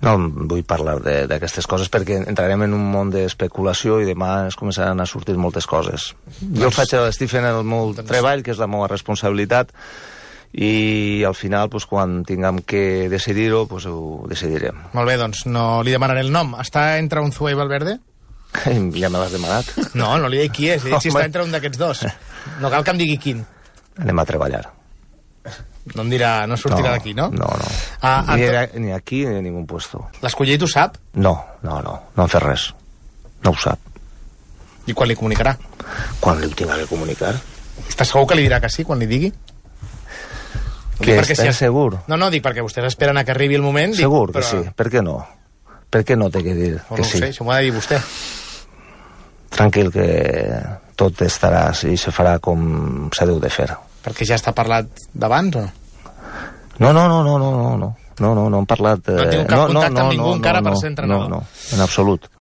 No vull parlar d'aquestes coses perquè entrarem en un món d'especulació i demà es començaran a sortir moltes coses. Jo estic fent el meu treball, que és la meva responsabilitat, i al final, quan tinguem que decidir-ho, ho decidirem. Molt bé, doncs no li demanaré el nom. Està entre Unzué i Valverde? Ja me l'has demanat. No li dic qui és, li dic si està entre un d'aquests dos. No cal que em digui quin. Anem a treballar. No em dirà, no sortirà d'aquí, no? No. Ni aquí ni a ningú puesto. L'escoller t'ho sap? No han fet res. No ho sap. I quan li comunicarà? Quan li ho tinga que comunicar. Estàs segur que li dirà que sí, quan li digui? Que estàs segur? No, dic perquè vostès esperen a que arribi el moment. Segur que sí, per què no? Per què no té que dir que sí? No ho sé, això m'ho ha de dir vostè. Tranquil, que tot estarà i se farà com s'ha de fer. Perquè ja està parlat d'abans, o no? No hem parlat... No han tingut cap contacte amb ningú encara per ser entrenador? No, en absolut.